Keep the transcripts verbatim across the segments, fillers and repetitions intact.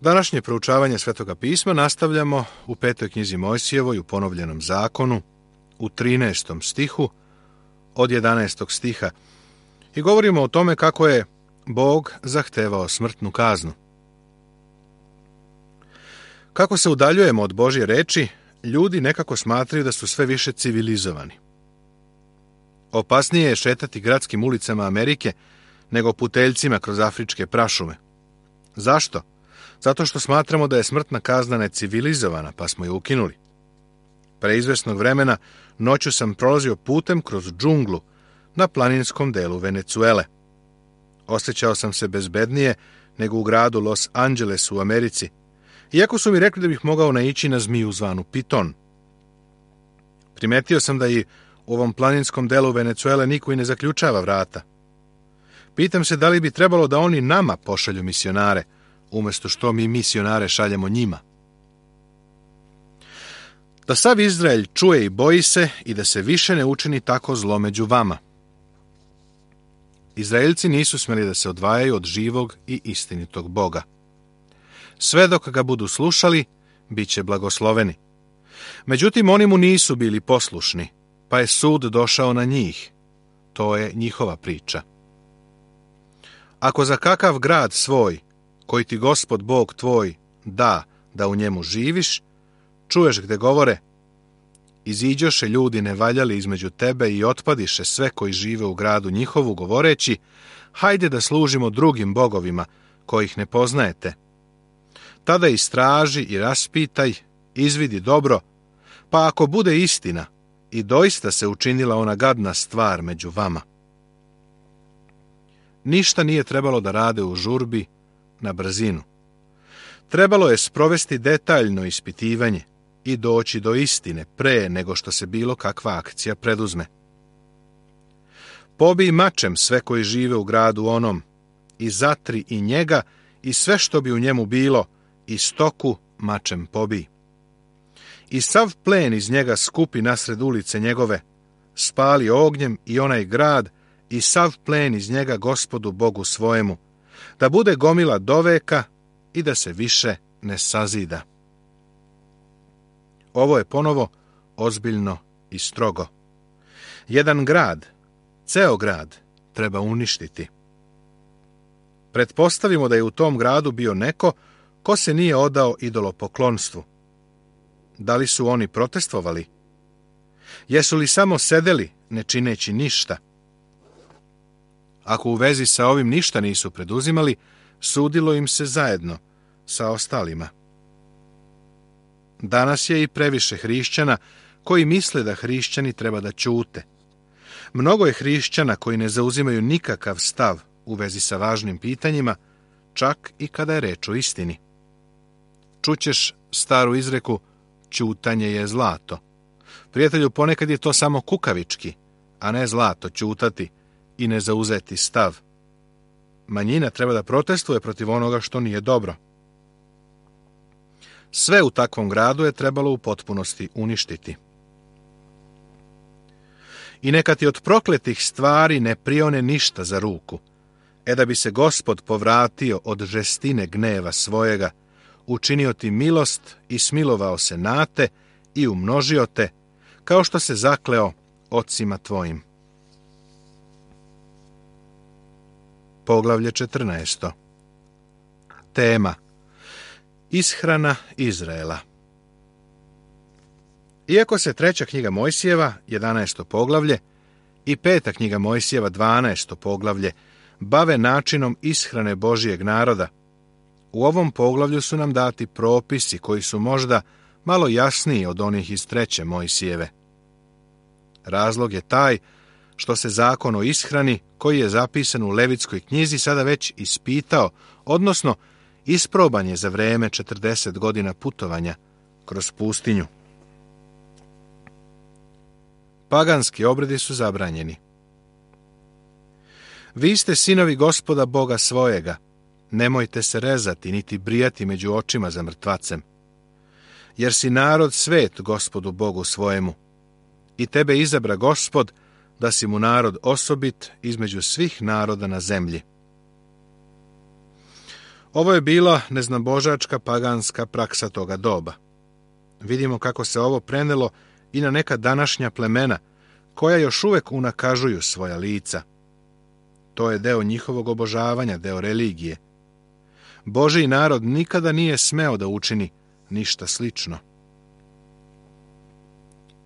Današnje proučavanje Svetoga pisma nastavljamo u petoj knjizi Mojsijevoj u ponovljenom zakonu, u trinaestom stihu, od jedanaestog stiha, i govorimo o tome kako je Bog zahtevao smrtnu kaznu. Kako se udaljujemo od Božje reči, ljudi nekako smatraju da su sve više civilizovani. Opasnije je šetati gradskim ulicama Amerike nego puteljcima kroz afričke prašume. Zašto? Zato što smatramo da je smrtna kazna necivilizovana, pa smo je ukinuli. Pre izvesnog vremena noću sam prolazio putem kroz džunglu na planinskom delu Venecuele. Osjećao sam se bezbednije nego u gradu Los Angeles u Americi, iako su mi rekli da bih mogao naići na zmiju zvanu piton. Primetio sam da i u ovom planinskom delu Venecuele niko i ne zaključava vrata. Pitam se da li bi trebalo da oni nama pošalju misionare, umjesto što mi misionare šaljemo njima. Da sav Izrael čuje i boji se i da se više ne učini tako zlo među vama. Izraelci nisu smjeli da se odvajaju od živog i istinitog Boga. Sve dok ga budu slušali, bit će blagosloveni. Međutim, oni mu nisu bili poslušni, pa je sud došao na njih. To je njihova priča. Ako za kakav grad svoj, koji ti Gospod Bog tvoj da, da u njemu živiš, čuješ gde govore, iziđoše ljudi nevaljali između tebe i otpadiše sve koji žive u gradu njihovu, govoreći, hajde da služimo drugim bogovima, kojih ne poznajete. Tada istraži i raspitaj, izvidi dobro, pa ako bude istina, i doista se učinila ona gadna stvar među vama. Ništa nije trebalo da rade u žurbi, na brzinu. Trebalo je sprovesti detaljno ispitivanje i doći do istine pre nego što se bilo kakva akcija preduzme. Pobij mačem sve koji žive u gradu onom, i zatri i njega i sve što bi u njemu bilo, i stoku mačem pobij. I sav plen iz njega skupi nasred ulice njegove, spali ognjem i onaj grad, i sav plen iz njega Gospodu Bogu svojemu, da bude gomila doveka i da se više ne sazida. Ovo je ponovo ozbiljno i strogo. Jedan grad, ceo grad, treba uništiti. Pretpostavimo da je u tom gradu bio neko ko se nije odao idolopoklonstvu. Da li su oni protestovali? Jesu li samo sedeli, ne čineći ništa? Ako u vezi sa ovim ništa nisu preduzimali, sudilo im se zajedno sa ostalima. Danas je i previše hrišćana koji misle da hrišćani treba da ćute. Mnogo je hrišćana koji ne zauzimaju nikakav stav u vezi sa važnim pitanjima, čak i kada je reč o istini. Čućeš staru izreku, ćutanje je zlato. Prijatelju, ponekad je to samo kukavički, a ne zlato ćutati i ne zauzeti stav. Manjina treba da protestuje protiv onoga što nije dobro. Sve u takvom gradu je trebalo u potpunosti uništiti. I neka ti od prokletih stvari ne prione ništa za ruku, e da bi se Gospod povratio od žestine gneva svojega, učinio ti milost i smilovao se na te i umnožio te, kao što se zakleo ocima tvojim. Poglavlje četrnaesto. Tema: Ishrana Izraela. Iako se treća knjiga Mojsijeva, jedanaesto poglavlje, i peta knjiga Mojsijeva, dvanaesto poglavlje, bave načinom ishrane Božijeg naroda, u ovom poglavlju su nam dati propisi koji su možda malo jasniji od onih iz treće Mojsijeve. Razlog je taj što se zakon o ishrani, koji je zapisan u Levitskoj knjizi, sada već ispitao, odnosno isproban je za vreme četrdeset godina putovanja kroz pustinju. Paganski obredi su zabranjeni. Vi ste sinovi Gospoda Boga svojega, nemojte se rezati niti brijati među očima za mrtvacem, jer si narod svet Gospodu Bogu svojemu, i tebe izabra Gospod da si mu narod osobit između svih naroda na zemlji. Ovo je bila neznabožačka paganska praksa toga doba. Vidimo kako se ovo prenelo i na neka današnja plemena, koja još uvek unakažuju svoja lica. To je deo njihovog obožavanja, deo religije. Božji narod nikada nije smeo da učini ništa slično.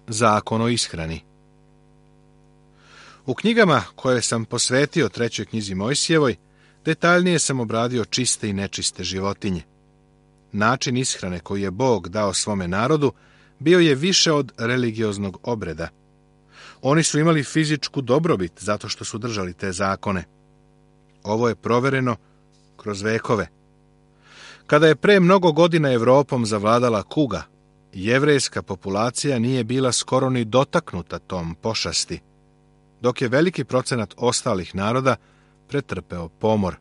Zakon o ishrani. U knjigama koje sam posvetio trećoj knjizi Mojsijevoj, detaljnije sam obradio čiste i nečiste životinje. Način ishrane koji je Bog dao svome narodu bio je više od religioznog obreda. Oni su imali fizičku dobrobit zato što su držali te zakone. Ovo je provereno kroz vekove. Kada je pre mnogo godina Evropom zavladala kuga, jevrejska populacija nije bila skoro ni dotaknuta tom pošasti, dok je veliki procenat ostalih naroda pretrpeo pomor.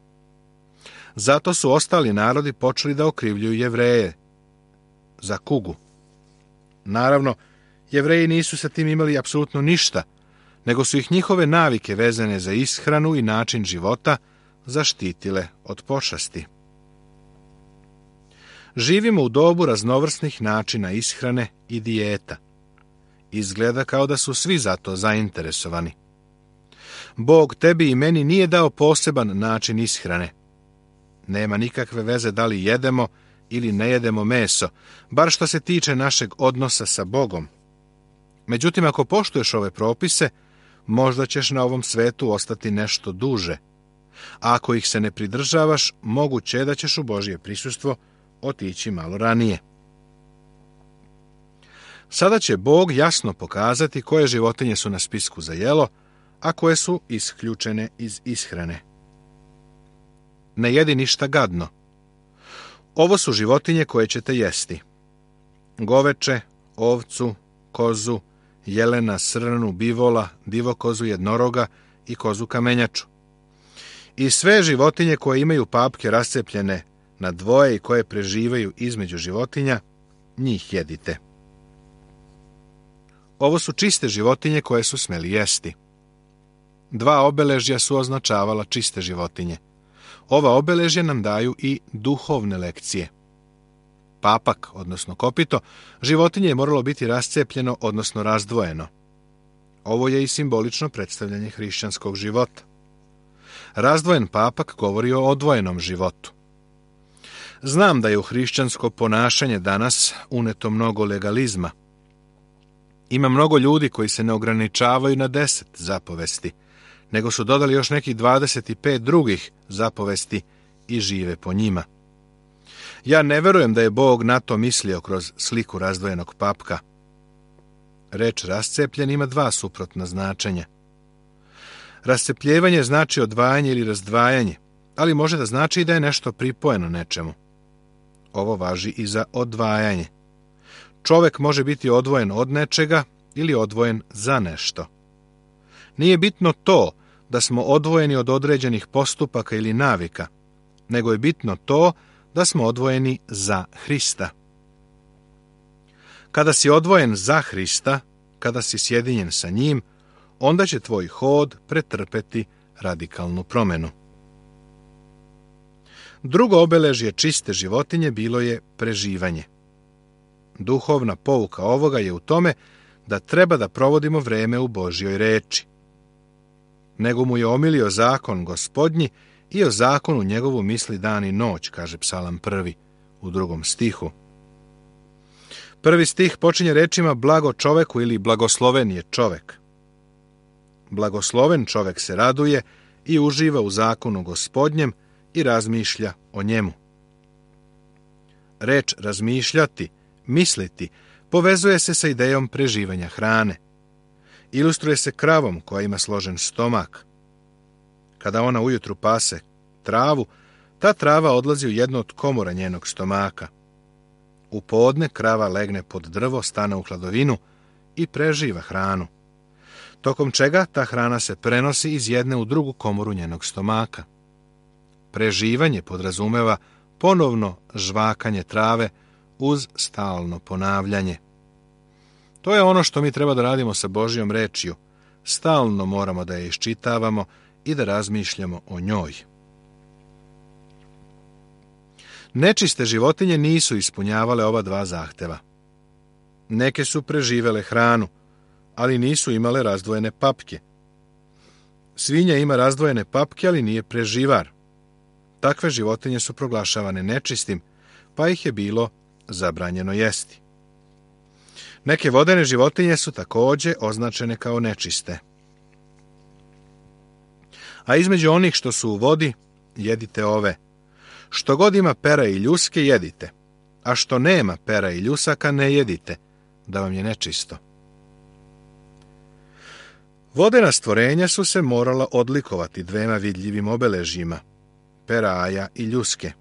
Zato su ostali narodi počeli da okrivljuju Jevreje za kugu. Naravno, Jevreji nisu sa tim imali apsolutno ništa, nego su ih njihove navike vezane za ishranu i način života zaštitile od pošasti. Živimo u dobu raznovrsnih načina ishrane i dijeta. Izgleda kao da su svi za to zainteresovani. Bog tebi i meni nije dao poseban način ishrane. Nema nikakve veze da li jedemo ili ne jedemo meso, bar što se tiče našeg odnosa sa Bogom. Međutim, ako poštuješ ove propise, možda ćeš na ovom svetu ostati nešto duže. A ako ih se ne pridržavaš, moguće je da ćeš u Božje prisustvo otići malo ranije. Sada će Bog jasno pokazati koje životinje su na spisku za jelo, a koje su isključene iz ishrane. Ne jedi ništa gadno. Ovo su životinje koje ćete jesti. Goveče, ovcu, kozu, jelena, srnu, bivola, divokozu, jednoroga i kozu kamenjaču. I sve životinje koje imaju papke rascepljene na dvoje i koje preživaju između životinja, njih jedite. Ovo su čiste životinje koje su smeli jesti. Dva obeležja su označavala čiste životinje. Ova obeležja nam daju i duhovne lekcije. Papak, odnosno kopito, životinje je moralo biti rascepljeno, odnosno razdvojeno. Ovo je i simbolično predstavljanje hrišćanskog života. Razdvojen papak govori o odvojenom životu. Znam da je u hrišćansko ponašanje danas uneto mnogo legalizma. Ima mnogo ljudi koji se ne ograničavaju na deset zapovesti, nego su dodali još nekih dvadeset pet drugih zapovesti i žive po njima. Ja ne verujem da je Bog na to mislio kroz sliku razdvojenog papka. Reč rascepljen ima dva suprotna značenja. Rascepljevanje znači odvajanje ili razdvajanje, ali može da znači i da je nešto pripojeno nečemu. Ovo važi i za odvajanje. Čovek može biti odvojen od nečega ili odvojen za nešto. Nije bitno to da smo odvojeni od određenih postupaka ili navika, nego je bitno to da smo odvojeni za Hrista. Kada si odvojen za Hrista, kada si sjedinjen sa njim, onda će tvoj hod pretrpeti radikalnu promenu. Drugo obeležje čiste životinje bilo je preživanje. Duhovna pouka ovoga je u tome da treba da provodimo vreme u Božjoj reči. Nego mu je omilio zakon Gospodnji i o zakonu njegovu misli dan i noć, kaže Psalam prvi u drugom stihu. Prvi stih počinje rečima blago čoveku ili blagosloven je čovek. Blagosloven čovek se raduje i uživa u zakonu Gospodnjem i razmišlja o njemu. Reč razmišljati, misliti, povezuje se sa idejom preživanja hrane. Ilustruje se kravom koja ima složen stomak. Kada ona ujutru pase travu, ta trava odlazi u jedno od komora njenog stomaka. U podne krava legne pod drvo, stane u hladovinu i preživa hranu, tokom čega ta hrana se prenosi iz jedne u drugu komoru njenog stomaka. Preživanje podrazumeva ponovno žvakanje trave uz stalno ponavljanje. To je ono što mi treba da radimo sa Božjom rečju. Stalno moramo da je iščitavamo i da razmišljamo o njoj. Nečiste životinje nisu ispunjavale ova dva zahteva. Neke su preživele hranu, ali nisu imale razdvojene papke. Svinja ima razdvojene papke, ali nije preživar. Takve životinje su proglašavane nečistim, pa ih je bilo zabranjeno jesti. Neke vodene životinje su također označene kao nečiste. A između onih što su u vodi, jedite ove. Što god ima pera i ljuske, jedite, a što nema pera i ljusaka, ne jedite, da vam je nečisto. Vodena stvorenja su se morala odlikovati dvema vidljivim obeležjima, peraja i ljuske.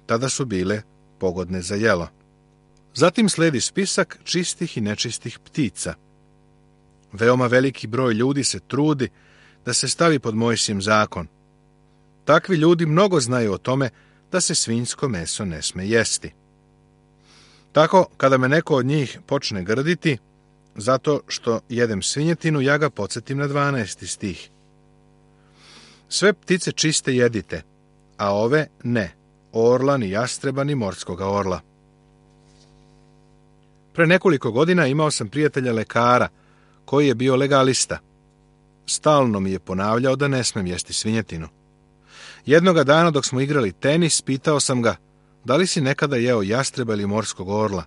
Tada su bile pogodne za jelo. Zatim sledi spisak čistih i nečistih ptica. Veoma veliki broj ljudi se trudi da se stavi pod Mojsijev zakon. Takvi ljudi mnogo znaju o tome da se svinjsko meso ne sme jesti. Tako, kada me neko od njih počne grditi, zato što jedem svinjetinu, ja ga podsjetim na dvanaesti stih. Sve ptice čiste jedite, a ove ne, orla, ni jastreba, ni morskoga orla. Pre nekoliko godina imao sam prijatelja lekara, koji je bio legalista. Stalno mi je ponavljao da ne smem jesti svinjetinu. Jednoga dana dok smo igrali tenis, pitao sam ga, da li si nekada jeo jastreba ili morskog orla?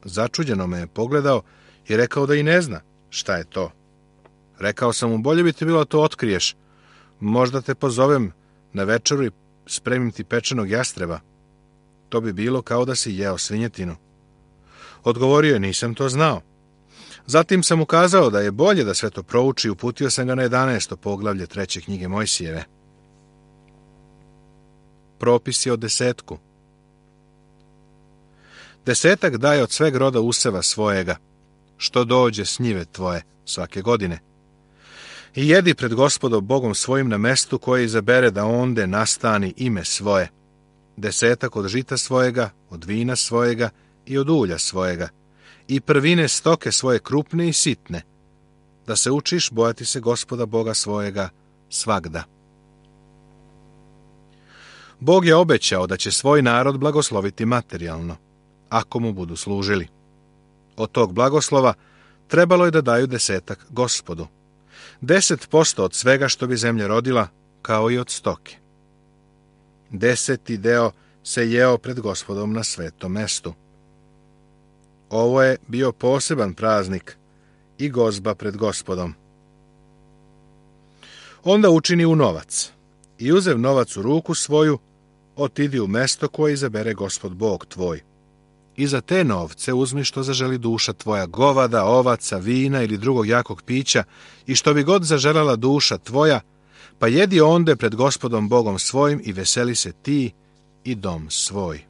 Začuđeno me je pogledao i rekao da i ne zna šta je to. Rekao sam mu, bolje bi ti bilo to otkriješ. Možda te pozovem na večeru i spremim ti pečenog jastreba. To bi bilo kao da si jeo svinjetinu. Odgovorio je, nisam to znao. Zatim sam ukazao da je bolje da sve to prouči i uputio sam ga na jedanaesto poglavlje treće knjige Mojsijeve. Propisi o desetku. Desetak daje od sveg roda useva svojega, što dođe s njive tvoje svake godine. I jedi pred Gospodom Bogom svojim na mestu koje izabere da onde nastani ime svoje. Desetak od žita svojega, od vina svojega i od ulja svojega, i prvine stoke svoje krupne i sitne, da se učiš bojati se Gospoda Boga svojega svagda. Bog je obećao da će svoj narod blagosloviti materijalno, ako mu budu služili. Od tog blagoslova trebalo je da daju desetak Gospodu. Deset posto od svega što bi zemlja rodila, kao i od stoke. Deseti deo se jeo pred Gospodom na svetom mestu. Ovo je bio poseban praznik i gozba pred Gospodom. Onda učini u novac i uzev novac u ruku svoju, otidi u mesto koje izabere Gospod Bog tvoj. I za te novce uzmi što zaželi duša tvoja, govada, ovaca, vina ili drugog jakog pića, i što bi god zaželjela duša tvoja, pa jedi onde pred Gospodom Bogom svojim i veseli se ti i dom svoj.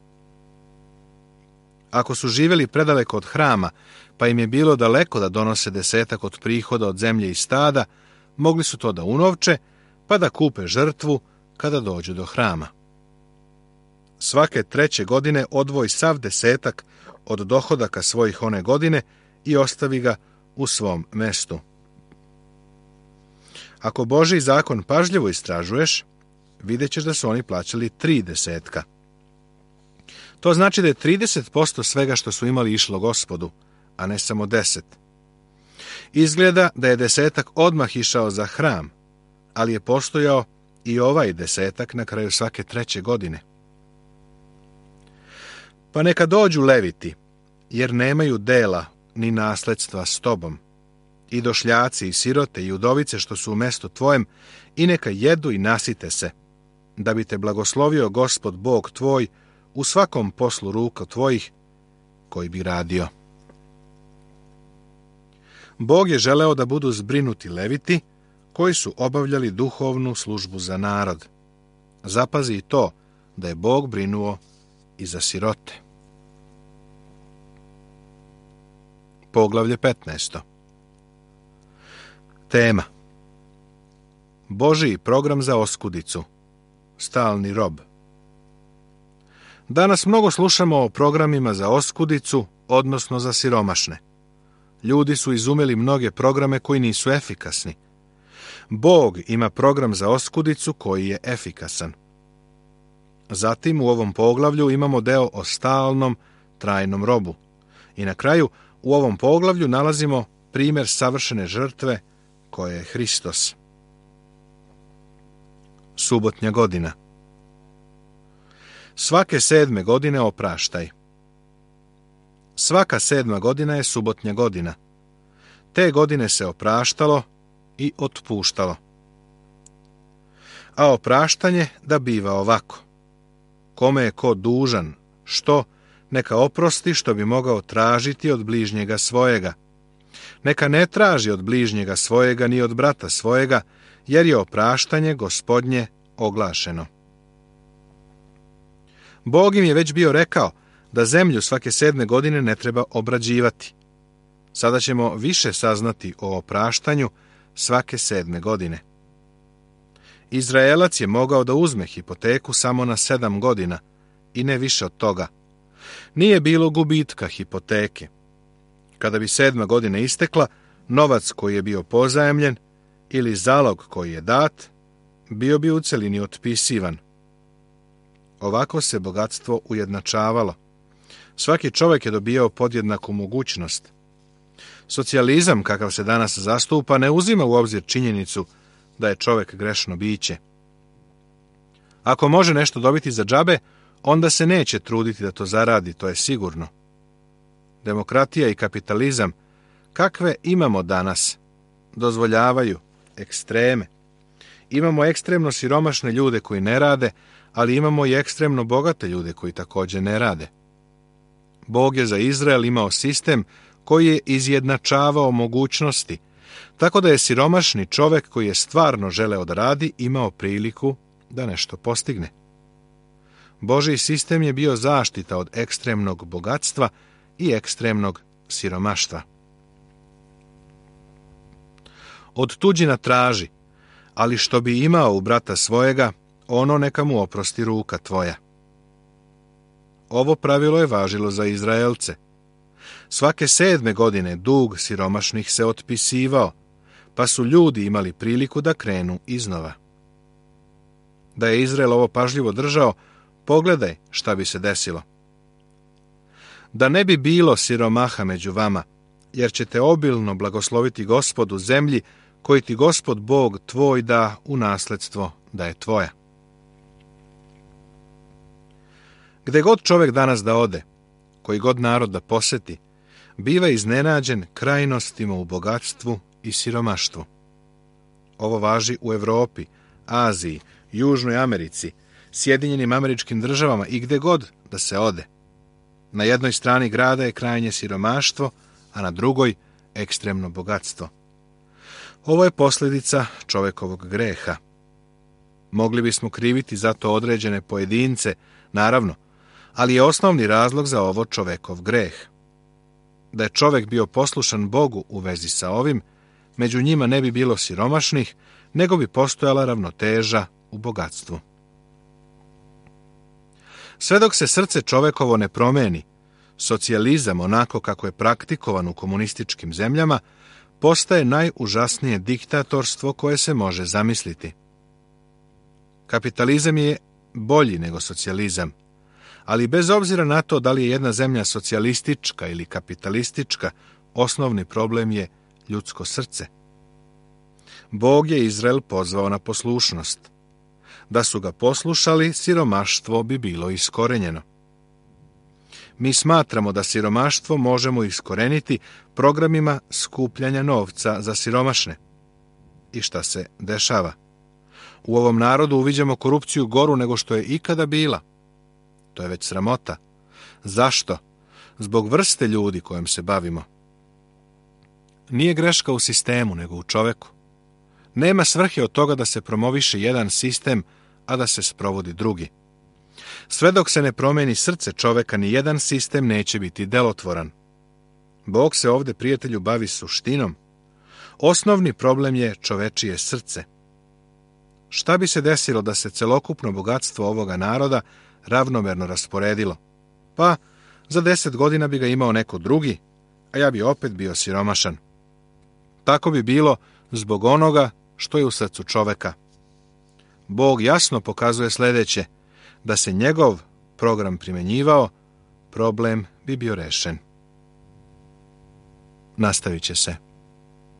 Ako su živjeli predaleko od hrama, pa im je bilo daleko da donose desetak od prihoda od zemlje i stada, mogli su to da unovče, pa da kupe žrtvu kada dođu do hrama. Svake treće godine odvoj sav desetak od dohodaka svojih one godine i ostavi ga u svom mestu. Ako Božji zakon pažljivo istražuješ, vidjet ćeš da su oni plaćali tri desetka. To znači da je trideset posto svega što su imali išlo Gospodu, a ne samo deset. Izgleda da je desetak odmah išao za hram, ali je postojao i ovaj desetak na kraju svake treće godine. Pa neka dođu leviti, jer nemaju dela ni nasledstva s tobom, i došljaci i sirote i udovice što su u mestu tvojem, i neka jedu i nasite se, da bi te blagoslovio Gospod Bog tvoj u svakom poslu ruka tvojih koji bi radio. Bog je želeo da budu zbrinuti leviti koji su obavljali duhovnu službu za narod. Zapazi i to da je Bog brinuo i za sirote. Poglavlje petnaesto. Tema: Božji program za oskudicu, stalni rob. Danas mnogo slušamo o programima za oskudicu, odnosno za siromašne. Ljudi su izumeli mnoge programe koji nisu efikasni. Bog ima program za oskudicu koji je efikasan. Zatim u ovom poglavlju imamo deo o stalnom, trajnom robu. I na kraju u ovom poglavlju nalazimo primjer savršene žrtve koje je Hristos. Subotnja godina. Svake sedme godine opraštaj. Svaka sedma godina je subotnja godina. Te godine se opraštalo i otpuštalo. A opraštanje da biva ovako. Kome je ko dužan, što, neka oprosti što bi mogao tražiti od bližnjega svojega. Neka ne traži od bližnjega svojega ni od brata svojega, jer je opraštanje Gospodnje oglašeno. Bog im je već bio rekao da zemlju svake sedme godine ne treba obrađivati. Sada ćemo više saznati o opraštanju svake sedme godine. Izraelac je mogao da uzme hipoteku samo na sedam godina i ne više od toga. Nije bilo gubitka hipoteke. Kada bi sedma godina istekla, novac koji je bio pozajemljen ili zalog koji je dat, bio bi u celini otpisivan. Ovako se bogatstvo ujednačavalo. Svaki čovjek je dobijao podjednaku mogućnost. Socijalizam, kakav se danas zastupa, ne uzima u obzir činjenicu da je čovjek grešno biće. Ako može nešto dobiti za džabe, onda se neće truditi da to zaradi, to je sigurno. Demokratija i kapitalizam, kakve imamo danas, dozvoljavaju ekstreme. Imamo ekstremno siromašne ljude koji ne rade, ali imamo i ekstremno bogate ljude koji također ne rade. Bog je za Izrael imao sistem koji je izjednačavao mogućnosti, tako da je siromašni čovjek koji je stvarno želeo da radi imao priliku da nešto postigne. Božji sistem je bio zaštita od ekstremnog bogatstva i ekstremnog siromaštva. Od tuđina traži, ali što bi imao u brata svojega, ono neka mu oprosti ruka tvoja. Ovo pravilo je važilo za Izraelce. Svake sedme godine dug siromašnih se otpisivao, pa su ljudi imali priliku da krenu iznova. Da je Izrael ovo pažljivo držao, pogledaj šta bi se desilo. Da ne bi bilo siromaha među vama, jer ćete obilno blagosloviti Gospod u zemlji koji ti Gospod Bog tvoj da u nasledstvo da je tvoja. Gde god čovjek danas da ode, koji god narod da poseti, biva iznenađen krajnostima u bogatstvu i siromaštvu. Ovo važi u Evropi, Aziji, Južnoj Americi, Sjedinjenim Američkim Državama i gde god da se ode. Na jednoj strani grada je krajnje siromaštvo, a na drugoj ekstremno bogatstvo. Ovo je posljedica čovjekovog greha. Mogli bismo kriviti za to određene pojedince, naravno, ali je osnovni razlog za ovo čovjekov greh. Da je čovjek bio poslušan Bogu u vezi sa ovim, među njima ne bi bilo siromašnih, nego bi postojala ravnoteža u bogatstvu. Sve dok se srce čovjekovo ne promeni, socijalizam, onako kako je praktikovan u komunističkim zemljama, postaje najužasnije diktatorstvo koje se može zamisliti. Kapitalizam je bolji nego socijalizam, ali bez obzira na to da li je jedna zemlja socijalistička ili kapitalistička, osnovni problem je ljudsko srce. Bog je Izrael pozvao na poslušnost. Da su ga poslušali, siromaštvo bi bilo iskorenjeno. Mi smatramo da siromaštvo možemo iskoreniti programima skupljanja novca za siromašne. I šta se dešava? U ovom narodu uviđamo korupciju goru nego što je ikada bila. To je već sramota. Zašto? Zbog vrste ljudi kojom se bavimo. Nije greška u sistemu, nego u čoveku. Nema svrhe od toga da se promoviše jedan sistem, a da se sprovodi drugi. Sve dok se ne promeni srce čoveka, ni jedan sistem neće biti delotvoran. Bog se ovdje, prijatelju, bavi suštinom. Osnovni problem je čovečije srce. Šta bi se desilo da se celokupno bogatstvo ovoga naroda ravnomerno rasporedilo? Pa, za deset godina bi ga imao neko drugi, a ja bi opet bio siromašan. Tako bi bilo zbog onoga što je u srcu čoveka. Bog jasno pokazuje sljedeće: Da se njegov program primjenjivao, problem bi bio rešen. Nastavit će se.